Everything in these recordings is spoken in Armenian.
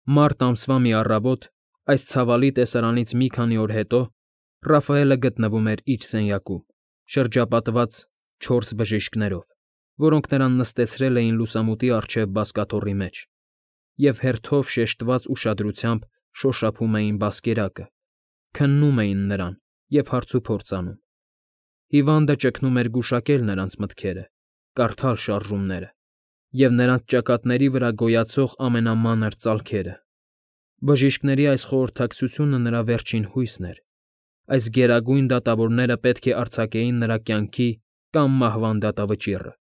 Մարտ ամսվա մի առավոտ, այս ցավալի տեսարանից մի քանի օր հետո, Ռաֆայելը գտնվում էր իր սենյակում, շրջապատված 4 բժիշկներով, որոնք նրան նստեցրել էին լուսամուտի առջև բազկաթոռի մեջ և հերթով շեշտված ուշադրությամբ շոշափում էին բազկերակը, քննում էին նրան և հարցուփորձ անում։ Հիվանդը ճգնում էր գուշակել նրանց մտքերը, կարդալ շարժումները և նրանց ճակատների վրա գոյացող ամենամանր ծալքերը։ Բժիշկների այս խորհրդակցությունը նրա վերջին հույսն էր։ Այս գերագույն դատավորները պետք է արձակեին նրա կյանքի կամ մահվան դատավճիռը։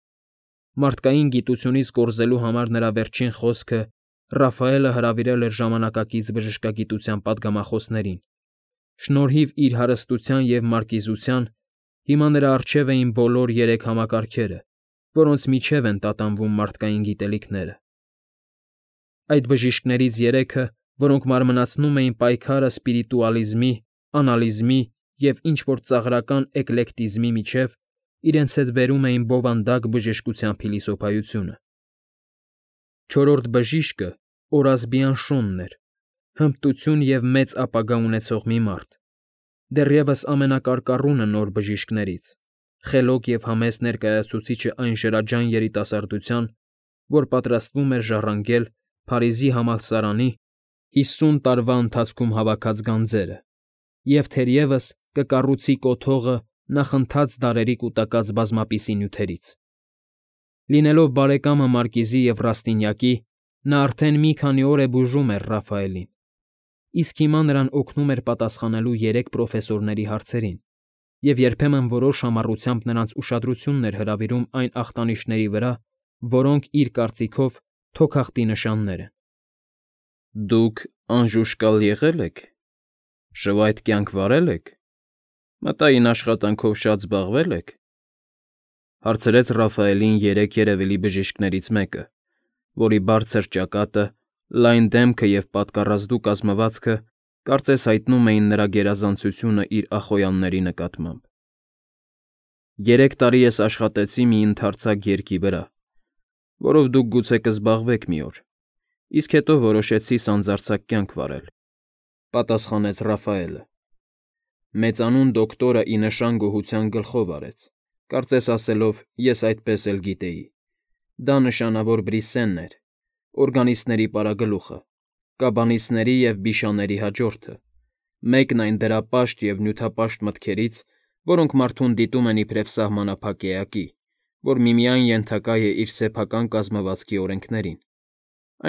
Մարդկային գիտությունից կորզելու համար նրա վերջին խոսքը Ռաֆայելը հրավիրել էր ժամանակակից բժշկագիտության պատգամախոսներին։ Շնորհիվ իր հարստության և մարկիզության հիմա նրա առջև էին բոլոր 3 համակարգերը, որոնց միջև են տատանվում մարդկային գիտելիքները։ Այդ բժիշկներից 3-ը, որոնք մարմնացնում էին պայքարը սպիրիտուալիզմի, անալիզմի և ինչ֊որ ծաղրական էկլեկտիզմի միջև, իրենց հետ բերում էին բովանդակ բժշկության փիլիսոփայությունը։ Չորրորդ բժիշկը Օրասբիան Շոնն էր, հմտություն և մեծ ապագա ունեցող մի մարդ, դեռևս ամենակարկառունը նոր բժիշկներից, խելոք և համեստ ներկայացուցիչը այն շրջաջայն երիտասարդության, որ պատրաստվում էր ժառանգել Փարիզի համալսարանի 50 տարվա ընթացքում հավաքած գանձերը և թերևս կկառուցի կոթողը նախընթաց դարերի կուտակած բազմապիսի նյութերից։ Լինելով բարեկամը Մարկիզի և Ռաստինյակի, նա արդեն մի քանի օր է բուժում էր Ռաֆայելին, իսկ հիմա նրան օգնում էր պատասխանելու 3 պրոֆեսորների հարցերին և երբեմն որոշ համառությամբ նրանց ուշադրությունն էր հրավիրում այն ախտանիշների վրա, որոնք, իր կարծիքով, թոքախտի նշաններ են։ Դուք անժուշկալ եղե՞լ եք, շվայտ կյանք վարե՞լ եք, մտային աշխատանքով շատ զբաղվե՞լ եք, հարցրեց Ռաֆայելին 3 երևելի բժիշկներից մեկը, որի բարձր ճակատը, լայն դեմքը և պատկառազդու կազմվածքը կարծես հայտնում էին նրա գերազանցությունը իր ախոյանների նկատմամբ։ 3 տարի ես աշխատեցի մի ընդարձակ երգի վրա, որով դուք գուցե կզբաղվեք մի օր, իսկ հետո որոշեցի սանձարձակ կյանք վարել, պատասխանեց Ռաֆայելը։ Մեծանուն դոկտորը ի նշան գոհության գլխով արեց, կարծես ասելով. ես այդպես էլ գիտեի։ Դա նշանավոր Բրիսենն էր, օրգանիստների պարագլուխը, կաբանիստների և բիշաների հաջորդը, մեկն այն դրապաշտ և նյութապաշտ մտքերից, որոնք մարդուն դիտում են իբրև սահմանափակ էակի, որ միմիայն ենթակա է իր սեփական կազմվածքի օրենքներին,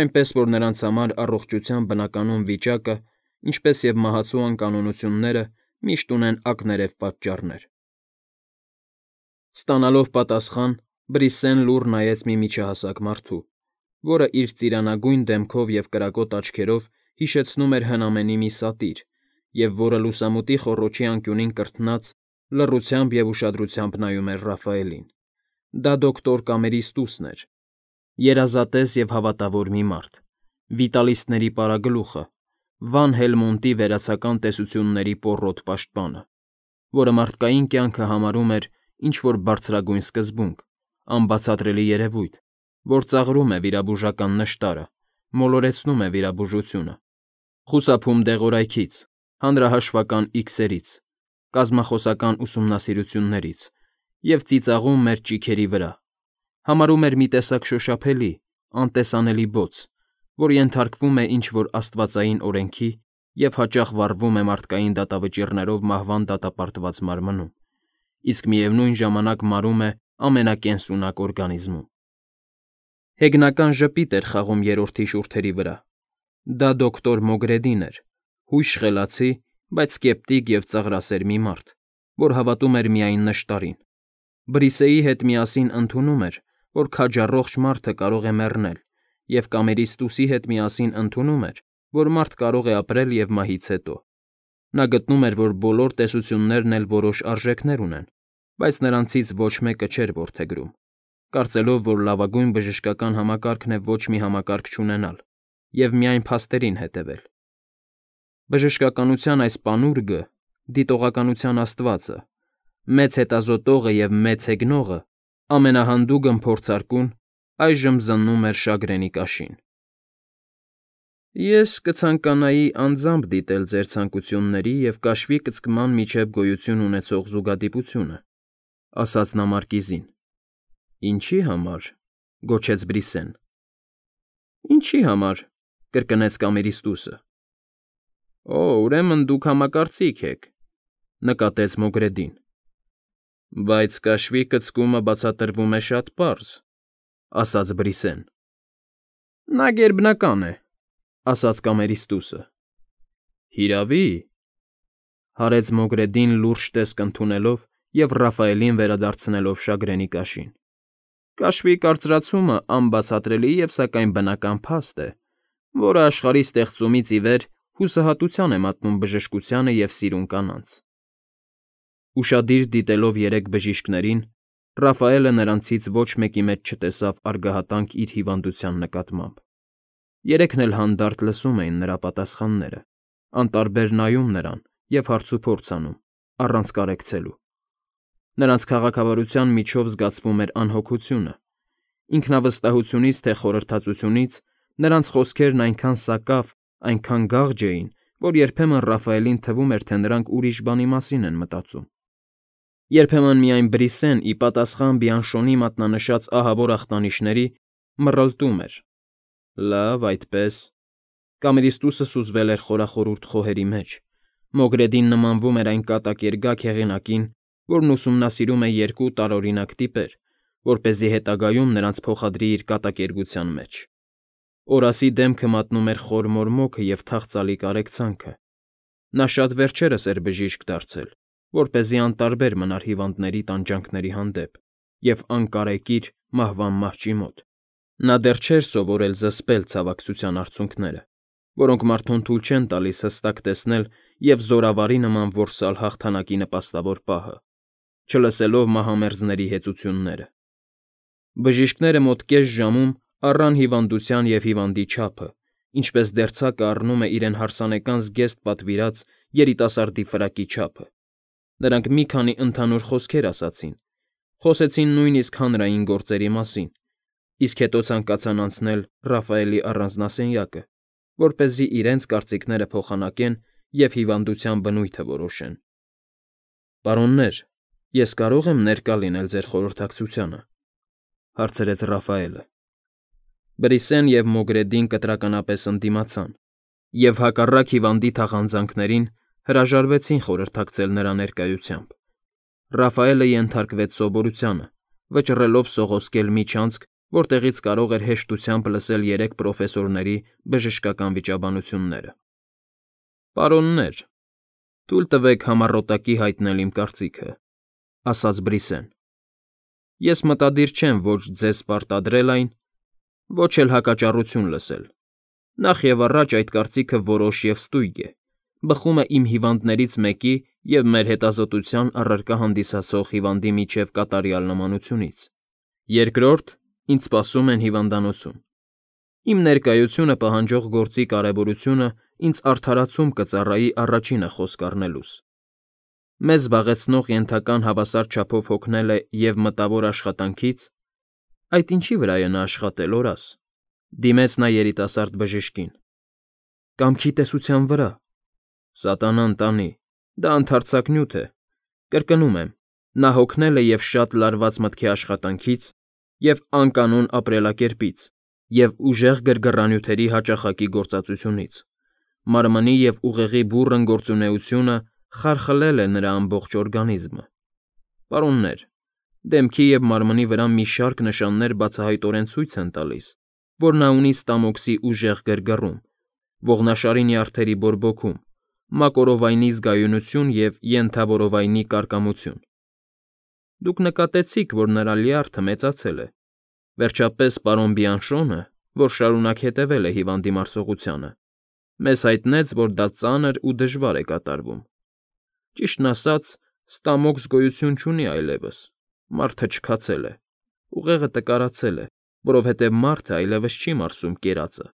այնպես որ նրանց համար առողջության բնականոն վիճակը, ինչպես և մահացու անկանոնությունները միշտ ունեն ակներև պատճառներ։ Ստանալով պատասխան, Բրիսեն լուռ նայեց մի միջահասակ մարդու, որը իր ծիրանագույն դեմքով և կրակոտ աչքերով հիշեցնում էր հնամենի մի սատիր և որը լուսամուտի խոռոչի անկյունին կրթնած լռությամբ և ուշադրությամբ նայում էր Ռաֆայելին։ Դա դոկտոր Կամերիստուսն էր, երազատես և հավատավոր մի մարդ, վիտալիստների պարագլուխը, Վան Հելմոնտի վերացական տեսությունների պոռոտ պաշտպանը, որը մարդկային կյանքը համարում էր ինչ֊որ բարձրագույն սկզբունք, անբացատրելի երևույթ, որ ծաղրում է վիրաբուժական նշտարը, մոլորեցնում է վիրաբուժությունը, խուսափում դեղորայքից, հանրահաշվական իքսերից, կազմախոսական ուսումնասիրություններից և ծիծաղում մեր ճիգերի վրա, համարում էր մի տեսակ շոշափելի, անտեսանելի բոց, որ ենթարկվում է ինչ֊որ աստվածային օրենքի և հաճախ վառվում է մարդկային դատավճիռներով մահվան դատապարտված մարմնում, իսկ միևնույն ժամանակ մարում է ամենակենսունակ օրգանիզմում։ Հեգնական ժպիտ էր խաղում երրորդի շուրթերի վրա։ Դա դոկտոր Մոգրեդին էր, հույժ խելացի, բայց սկեպտիկ և ծաղրասեր մի մարդ, որ հավատում էր միայն նշտարին։ Բրիսեի հետ միասին ընդունում էր, որ քաջառողջ մարդը կարող է մեռնել, և Կամերիստուսի հետ միասին ընդունում էր, որ մարդ կարող է ապրել և մահից հետո։ Նա գտնում էր, որ բոլոր տեսություններն էլ որոշ արժեքներ ունեն, բայց նրանցից ոչ մեկը չէր որդեգրում, կարծելով, որ լավագույն բժշկական համակարգն է ոչ մի համակարգ չունենալ և միայն փաստերին հետևել։ Բժշկականության այս պանուրգը, դիտողականության աստվածը, մեծ հետազոտողը և մեծ հեգնողը, ամենահանդուգն փորձարկուն այժմ զննում էր շագրենի կաշին։ Ես կցանկանայի անձամբ դիտել ձեր ցանկությունների և կաշվի կցկման միջև գոյություն ունեցող զուգադիպությունը, ասաց նա մարկիզին։ Ինչի համար, գոչեց Բրիսեն։ Ինչի համար, կրկնեց Կամերիստուսը։ Օ, ուրեմն դուք համակարծիք եք, նկատեց Մոգրեդին։ Բայց կաշվի կցկումը բացատրվում է շատ պարզ, ասաց Բրիսեն։ Նա գերբնական է, ասաց Կամերիստուսը։ Հիրավի, հարեց Մոգրեդին լուրջ տեսք ընդունելով և Ռաֆայելին վերադարձնելով շագրենի կաշին։ Կաշվի կարծրացումը անբացատրելի և սակայն բնական փաստ է, որը աշխարհի ստեղծումից ի վեր հուսահատության է մատնում բժշկությանը և սիրուն կանանց։ Ուշադիր դիտելով երեք բժիշկներին, Ռաֆայելը նրանցից ոչ մեկի մեջ չտեսավ արգահատանք իր հիվանդության նկատմամբ։ Երեքն էլ հանդարտ լսում էին նրա պատասխանները, անտարբեր նայում նրան և հարցուփորձ անում, առանց կարեկցելու։ Նրանց քաղաքավարության միջով զգացվում էր անհոգությունը։ Ինքնավստահությունից թե խորհրդածությունից նրանց խոսքերն այնքան սակավ, այնքան գաղջ էին, որ երբեմն Ռաֆայելին թվում էր, թե նրանք ուրիշ բանի մասին են մտածում։ Երբեմն միայն Բրիսեն, ի պատասխան Բիանշոնի մատնանշած ահավոր ախտանիշների, մռլտում էր. Լավ, այդպես։ Կամերիստուսը սուզվել էր խորախորուրդ խոհերի մեջ։ Մոգրեդին նմանվում էր այն կատակերգակ հեղինակին, որն ուսումնասիրում է երկու տարօրինակ տիպեր, որպեսզի հետագայում նրանց փոխադրի իր կատակերգության մեջ։ Օրասի դեմքը մատնում էր խոր մորմոքը և թախծալի կարեկցանքը։ Նա շատ վերջերս էր բժիշկ դարձել, որպեսզի անտարբեր մնար հիվանդների տանջանքների հանդեպ և անկարեկիր մահվան մահճի մոտ։ Նա դեռ չէր սովորել զսպել ցավակցության արցունքները, որոնք մարդուն թույլ չեն տալիս հստակ տեսնել և զորավարի նման որսալ հաղթանակի նպաստավոր պահը, չլսելով մահամերձների հեծությունները։ Բժիշկները մոտ կես ժամում առան հիվանդության և հիվանդի չափը, ինչպես դերձակը առնում է իրեն հարսանեկան զգեստ պատվիրած երիտասարդի ֆրակի չափը։ Նրանք մի քանի ընդհանուր խոսքեր ասացին, խոսեցին նույնիսկ հանրային գործերի մասին, իսկ հետո ցանկացան անցնել Ռաֆայելի առանձնասենյակը, որպեսզի իրենց կարծիքները փոխանակեն և հիվանդության բնույթը որոշեն։ Պարոններ, ես կարո՞ղ եմ ներկա լինել ձեր խորհրդակցությանը, հարցրեց Ռաֆայելը։ Բրիսեն և Մոգրեդին կտրականապես ընդդիմացան և հակառակ հիվանդի թախանձանքներին հրաժարվեցին խորհրդակցել նրա ներկայությամբ։ Ռաֆայելը ենթարկվեց սովորությանը, վճռելով սողոսկել միջանցք, որտեղից կարող էր հեշտությամբ լսել երեք պրոֆեսորների բժշկական վիճաբանությունները։ Պարոններ, թույլ տվեք համառոտակի հայտնել իմ կարծիքը, ասաց Բրիսեն։ Ես մտադիր չեմ ոչ ձեզ պարտադրել այն, ոչ էլ հակաճառություն լսել։ Նախ և առաջ այդ կարծիքը որոշ և ստույգ է, բխում է իմ հիվանդներից մեկի և մեր հետազոտության առարկա հանդիսացող հիվանդի միջև կատարյալ նմանությունից։ Երկրորդ, ինձ սպասում են հիվանդանոցում։ Իմ ներկայությունը պահանջող գործի կարևորությունը ինձ արդարացում կծառայի առաջինը խոսք առնելուս։ Մեզ զբաղեցնող ենթական հավասար չափով հոգնել է և մտավոր աշխատանքից, այդ ինչի վրա է նա աշխատել, օրաս, դիմեց նա երիտասարդ բժշկին։ Կամքի տեսության վրա։ Սատանան տանի, դա ընդարձակ նյութ է։ Կրկնում եմ, նա հոգնել է և շատ լարված մտքի աշխատանքից, և անկանոն ապրելակերպից, և ուժեղ գրգռանյութերի հաճախակի գործածությունից։ Մարմնի և ուղեղի բուռն գործունեությունը խարխլել է նրա ամբողջ օրգանիզմը։ Պարոններ, դեմքի և մարմնի վրա մի շարք նշաններ բացահայտորեն ցույց են տալիս, որ նա ունի ստամոքսի ուժեղ գրգռում, ողնաշարի նյարդերի բորբոքում, մակօրովայնի զգայունություն և ենթավորովայնի կարկամություն։ Դուք նկատեցիք, որ նրա լյարդը մեծացել է։ Վերջապես պարոն Բիանշոնը, որ շարունակ հետևել է հիվանդի մարսողությանը, մեզ հայտնեց, որ դա ծանր ու դժվար է կատարվում։ Ճիշտն ասած, ստամոքս գոյություն չունի այլևս, մարդը չքացել է, ուղեղը տկարացել է, որովհետև մարդը այլևս չի մարսում կերածը։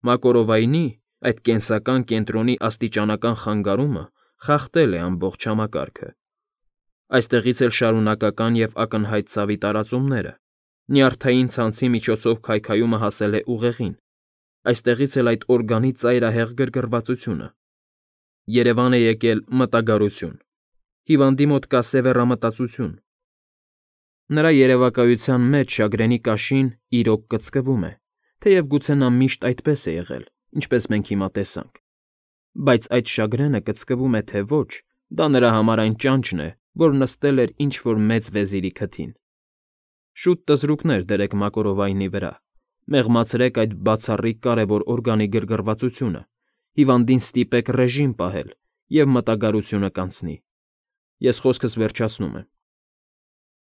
Մակօրովայնի, այդ կենսական կենտրոնի աստիճանական խանգարումը խախտել է ամբողջ համակարգը։ Այստեղից էլ շարունակական և ակնհայտ ցավի տարածումները։ Նյարդային ցանցի միջոցով քայքայումը հասել է ուղեղին, Այստեղից էլ այդ օրգանի ծայրահեղ գրգռվածությունը։ Երևան է եկել մտագարություն։ Հիվանդի մոտ կա սևեռամտածություն։ Նրա երևակայության մեջ շագրենի կաշին իրոք կծկվում է, թեև գուցե նա միշտ այդպես է եղել, ինչպես մենք հիմա տեսանք։ Բայց այդ շագրենը կծկվում է թե ոչ, դա նրա համար այն ճանճն է, որ նստել էր ինչ-որ մեծ վեզիրի քթին։ Շուտ տզրուկներ դրեք Մակորովայնի վրա, մեղմացրեք այդ բացառիկ կարևոր օրգանի գրգռվածությունը, հիվանդին ստիպեք ռեժիմ պահել, և մտագարությունը կանցնի։ Ես խոսքս վերջացնում եմ։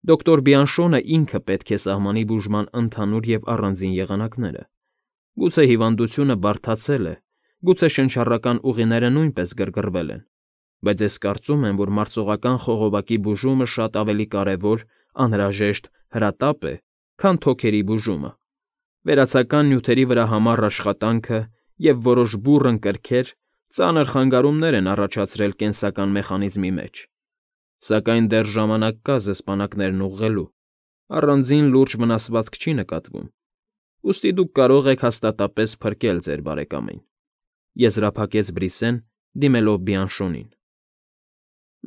Դոկտոր Բիանշոնը ինքը պետք է սահմանի բուժման ընդհանուր և առանձին եղանակները։ Գուցե հիվանդությունը բարդացել է, գուցե շնչառական ուղիները նույնպես գրգռվել են, բայց ես կարծում եմ, որ մարսողական խողովակի բուժումը շատ ավելի կարևոր, անհրաժեշտ, հրատապ է, քան թոքերի բուժումը։ Վերացական նյութերի վրա համառ աշխատանքը և որոշ բուռն կրքեր ծանր խանգարումներ են առաջացրել կենսական մեխանիզմի մեջ։ Սակայն դեռ ժամանակ կա զսպանակներն ուղղելու, առանձին լուրջ վնասվածք չի նկատվում, ուստի դուք կարող եք հաստատապես փրկել ձեր բարեկամին,֊ եզրափակեց Բրիսեն, դիմելով Բիանշոնին։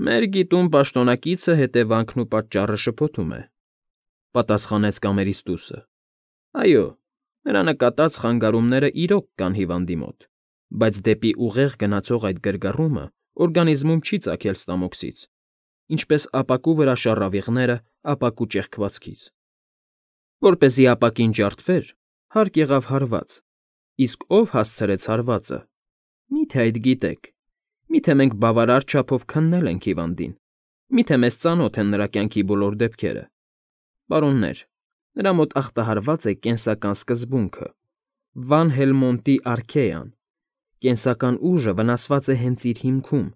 Մեր գիտուն պաշտոնակիցը հետևանքն ու պատճառը շփոթում է,֊ պատասխանեց կամերիստուսը։ Այո, նրա նկատած խանգարումները իրոք կան հիվանդի մոտ, բայց դեպի ուղեղ գնացող այդ գրգռումը օրգանիզմում չի ծագել ստամոքսից, ինչպես ապակու վրա շառավիղները ապակու ճեղքվածքից։ Որպեսզի ապակին ջարդվեր, հարկ եղավ հարված, իսկ ով հասցրեց հարվածը։ Մի՞թե այդ գիտեք, մի՞թե մենք բավարար չափով քննել ենք հիվանդին, մի՞թե մեզ ծանոթ են նրա կյանքի բոլոր դեպքերը։ Պարոններ, նրա մոտ ախտահարված է կենսական սկզբունքը, Վան Հելմոնտի արքեան, կենսական ուժը վնասված է հենց իր հիմքում,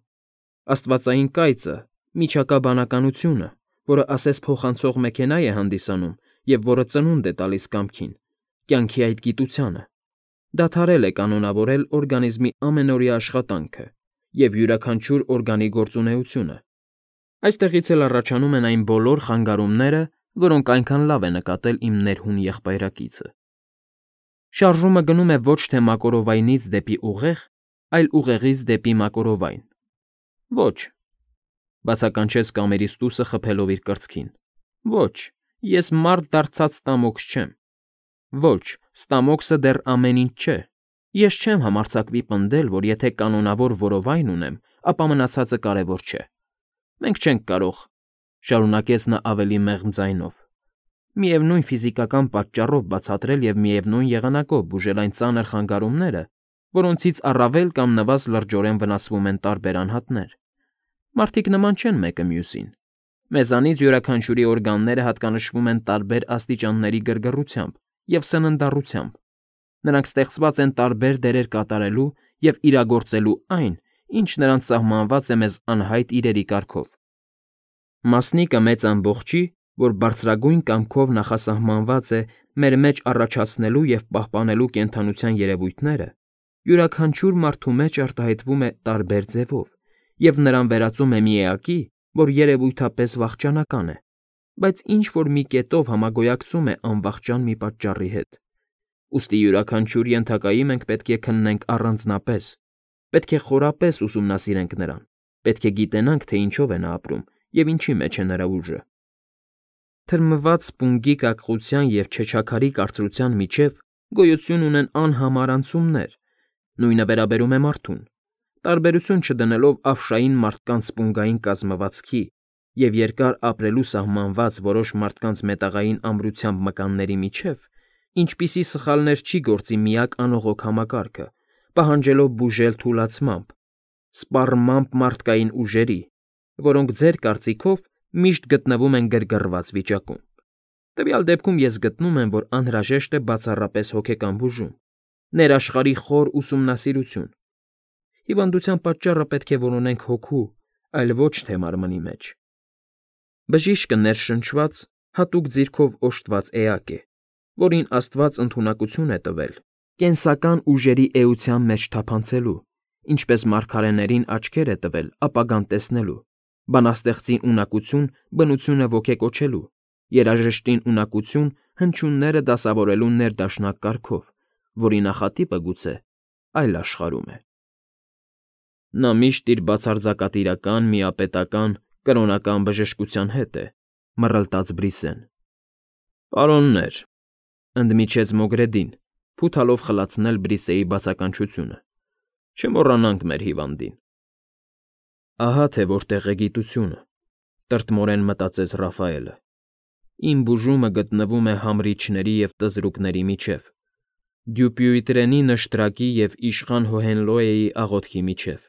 աստվածային կայծը, միջակա բանականությունը, որը ասես փոխանցող մեքենա է հանդիսանում և որը ծնունդ է տալիս կամքին, կյանքի այդ գիտությանը, դադարել է կանոնավորել օրգանիզմի ամենօրյա աշխատանքը և յուրաքանչյուր օրգանի գործունեությունը։ Այստեղից էլ առաջանում են այն բոլոր խանգարումները, որոնք այնքան լավ է նկատել իմ ներհուն եղբայրակիցը։ Շարժումը գնում է ոչ թե Մակորովայնից դեպի ուղեղ, այլ ուղեղից դեպի Մակորովայն։ Ոչ,֊ բացականչեց կամերիստուսը խփելով իր կրծքին։ Ոչ, ես մարդ դարձած ստամոքս չեմ։ Ոչ, ստամոքսը դեռ ամեն ինչ չէ։ Ես չեմ համարձակվի պնդել, որ եթե կանոնավոր որովայն ունեմ, ապա մնացածը կարևոր չէ։ Մենք չենք կարող,֊ շարունակեց նա ավելի մեղմ ձայնով,֊ միևնույն ֆիզիկական պատճառով բացատրել և միևնույն եղանակով բուժել այն ծանր խանգարումները, որոնցից առավել կամ նվազ լրջորեն վնասվում են տարբեր անհատներ։ Մարդիկ նման չեն մեկը մյուսին։ Մեզանից յուրաքանչյուրի օրգանները հատկանշվում են տարբեր աստիճանների գրգռությամբ և սննդառությամբ։ Նրանք ստեղծված են տարբեր դերեր կատարելու և իրագործելու այն, ինչ նրանց սահմանված է մեզ անհայտ իրերի կարգով։ Մասնիկը մեծ ամբողջի, որ բարձրագույն կամքով նախասահմանված է մեր մեջ առաջացնելու և պահպանելու կենդանության երևույթները, յուրաքանչյուր մարդու մեջ արտահայտվում է տարբեր ձևով և նրան վերածում է մի էակի, որ երևույթապես վախճանական է, բայց ինչ֊որ մի կետով համագոյակցում է անվախճան մի պատճառի հետ։ Ուստի յուրաքանչյուր ենթակայի մենք պետք է քննենք առանձնապես, պետք է խորապես ուսումնասիրենք նրան, պետք է գիտենանք, թե ինչով է նա ապրում և ինչի մեջ է նրա ուժը։ Թրմված սպունգի կակղության և չեչաքարի կարծրության միջև գոյություն ունեն անհամար անցումներ, նույնը վերաբերում է մարդուն, տարբերություն չդնելով ավշային մարդկանց սպունգային կազմվածքի և երկար ապրելու սահմանված որոշ մարդկանց մետաղային ամրությամբ մկանների միջև, ինչպիսի սխալներ չի գործի միակ անողոք համակարգը, պահանջելով բուժել թուլացմամբ, սպառմամբ մարդկային ուժերի, որոնք ձեր կարծիքով միշտ գտնվում են գրգռված վիճակում։ Տվյալ դեպքում ես գտնում եմ, որ անհրաժեշտ է բացառապես հոգեկան բուժում, ներաշխարհի խոր ուսումնասիրություն։ Հիվանդության պատճառը պետք է որոնենք հոգու, այլ ոչ թե մարմնի մեջ։ Բժիշկը ներշնչված, հատուկ ձիրքով օժտված էակ է, որին Աստված ընդունակություն է տվել կենսական ուժերի էության մեջ թափանցելու, ինչպես մարգարեներին աչքեր է տվել ապագան տեսնելու, բանաստեղծին ունակություն բնությունը ոգեկոչելու, երաժշտին ունակություն հնչյունները դասավորելու ներդաշնակ կարգով, որի նախատիպը գուցե այլ աշխարհում է։ Նա միշտ իր բացարձակատիրական, միապետական, կրոնական բժշկության հետ է, մռլտաց Բրիսեն։ Պարոններ, ընդմիջեց Մոգրեդին, փութալով խլացնել Բրիսեի բացականչությունը, չմոռանանք մեր հիվանդին։ Ահա թե որտեղ է գիտությունը, տրտմորեն մտածեց Ռաֆայելը։ Իմ բուժումը գտնվում է համրիչների և տզրուկների միջև, Դյուպյուիտրենի նշտրակի և իշխան Հոհենլոյեի աղոթքի միջև։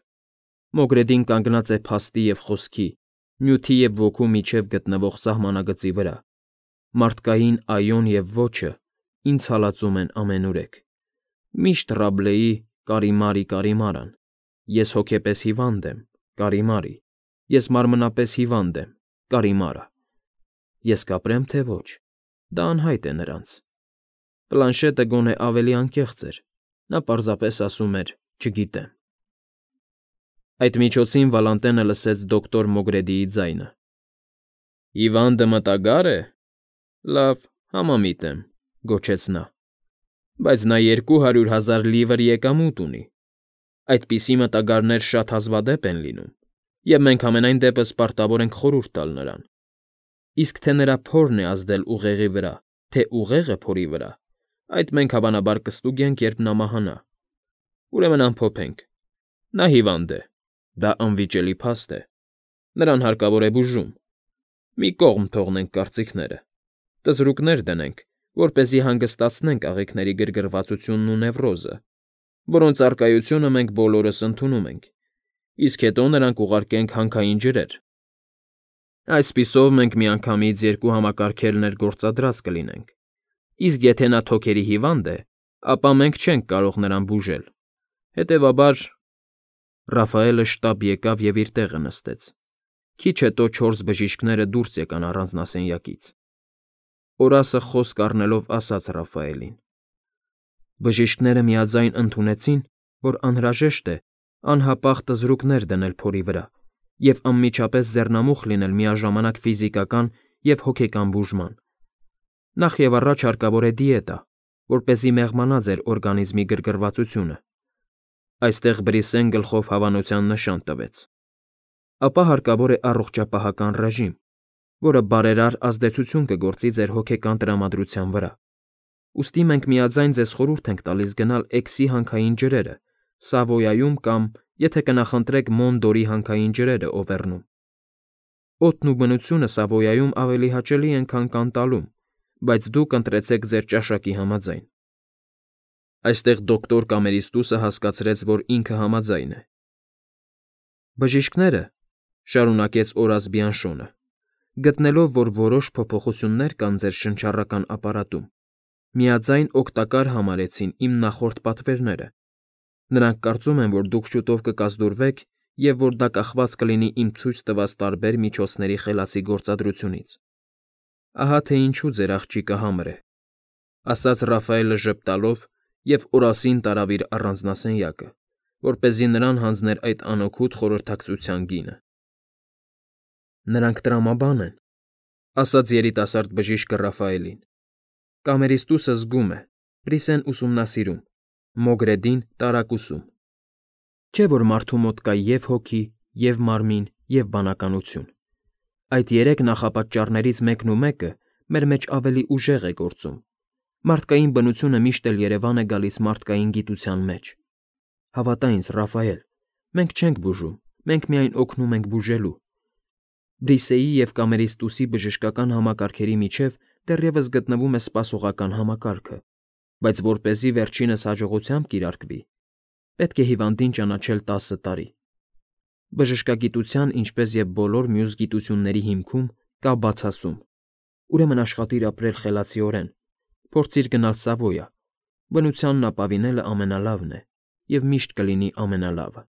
Մոգրեդին կանգնած է փաստի և խոսքի, նյութի և ոգու միջև գտնվող սահմանագծի վրա։ Մարդկային այոն և ոչը ինձ հալածում են ամենուրեք։ Միշտ Ռաբլեի «Կարիմարի, Կարիմարան»։ Ես հոգեպես հիվանդ եմ, Կարիմարի, ես մարմնապես հիվանդ եմ, Կարիմարա։ Ես կապրեմ, թե ոչ, դա անհայտ է նրանց։ Պլանշետը գոնե ավելի անկեղծ էր, նա պարզապես ասում էր. «Չգիտեմ»։ Այդ միջոցին Վալանտենը լսեց դոկտոր Մոգրեդիի ձայնը. «Հիվանդը մտագա՞ր է։ Լավ, համամիտ եմ», գոչեց նա։ «Բայց նա 200,000 լիվր եկամուտ ունի։ Այդպիսի մտագարներ շատ հազվադեպ են լինում, և մենք համենայն դեպս պարտավոր ենք խորհուրդ տալ նրան։ Իսկ թե նրա փորն է ազդել ուղեղի վրա, թե ուղեղը փորի վրա, այդ մենք հավանաբար կստուգենք, երբ նա մահանա։ Ուրեմն ամփոփենք. նա հիվանդ է, դա անվիճելի փաստ է, նրան հարկավոր է բուժում։ Մի կողմ թողնենք կարծիքները, տզրուկներ դնենք, որպեսզի հանգստացնենք աղիքների գրգռվածությունն ու նևրոզը, որոնց առկայությունը մենք բոլորս ընդունում ենք, իսկ հետո նրան կուղարկենք հանքային ջրեր։ Այսպիսով մենք միանգամից երկու համակարգեր ներգործադրած կլինենք, իսկ եթե նա թոքերի հիվանդ է, ապա մենք չենք կարող նրան բուժել։ Հետևաբար… Ռաֆայելը շտապ եկավ և իր տեղը նստեց։ Քիչ հետո 4 բժիշկները դուրս եկան առանձնասենյակից։ Օրասը խոսք առնելով ասաց Ռաֆայելին. Բժիշկները միաձայն ընդունեցին, որ անհրաժեշտ է անհապաղ տզրուկներ դնել փորի վրա և անմիջապես ձեռնամուխ լինել միաժամանակ ֆիզիկական և հոգեկան բուժման։ Նախ և առաջ հարկավոր է դիետա, որպեսզի մեղմանա ձեր օրգանիզմի գրգռվածությունը։ Այստեղ Բրիսեն գլխով հավանության նշան տվեց։ Ապա հարկավոր է առողջապահական ռեժիմ, որը բարերար ազդեցություն կգործի ձեր հոգեկան տրամադրության վրա։ Ուստի մենք միաձայն ձեզ խորհուրդ ենք տալիս գնալ Էքսի հանքային ջրերը, Սավոյայում կամ, եթե կնախընտրեք, Մոնդորի հանքային ջրերը Օվերնում։ Օդն ու բնությունը Սավոյայում ավելի հաճելի են, քան Կանտալում, բայց դուք ընտրեցեք ձեր ճաշակի համաձայն։ Այստեղ դոկտոր Կամերիստուսը հասկացրեց, որ ինքը համաձայն է։ Բժիշկները, շարունակեց Օրաս Բիանշոնը, գտնելով, որ որոշ փոփոխություններ կան ձեր շնչառական ապարատում, միաձայն օգտակար համարեցին իմ նախորդ պատվերները։ Նրանք կարծում են, որ դուք շուտով կկազդուրվեք և որ դա կախված կլինի իմ ցույց տված տարբեր միջոցների խելացի գործադրությունից։ Ահա թե ինչու ձեր աղջիկը համր է, ասաց Ռաֆայելը ժպտալով և Օրասին տարավ իր առանձնասենյակը, որպեսզի նրան հանձներ այդ անօգուտ խորհրդակցության գինը։ Նրանք տրամաբան են, ասաց երիտասարդ բժիշկը Ռաֆայելին։ Կամերիստուսը զգում է, Բրիսեն ուսումնասիրում, Մոգրեդին տարակուսում։ Չէ՞ որ մարդու մոտ կա և հոգի, և մարմին, և բանականություն։ Այդ երեք նախապատճառներից մեկն ու մեկը մեր մեջ ավելի ուժեղ է գործում։ Մարդկային բնությունը միշտ էլ երևան է գալիս մարդկային գիտության մեջ։ Հավատա ինձ, Ռաֆայել, մենք չենք բուժում, մենք միայն օգնում ենք բուժելու։ Բրիսեի և Կամերիստուսի բժշկական համակարգերի միջև դեռևս գտնվում է սպասողական համակարգը, բայց որպեսզի վերջինս հաջողությամբ կիրարկվի, պետք է հիվանդին ճանաչել 10 տարի։ Բժշկագիտության, ինչպես և բոլոր մյուս գիտությունների հիմքում կա բացասում։ Ուրեմն աշխատիր ապրել խելացիորեն, փորձիր գնալ Սավոյա, բնությանն ապավինելը ամենալավն է և միշտ կլինի ամենալավը։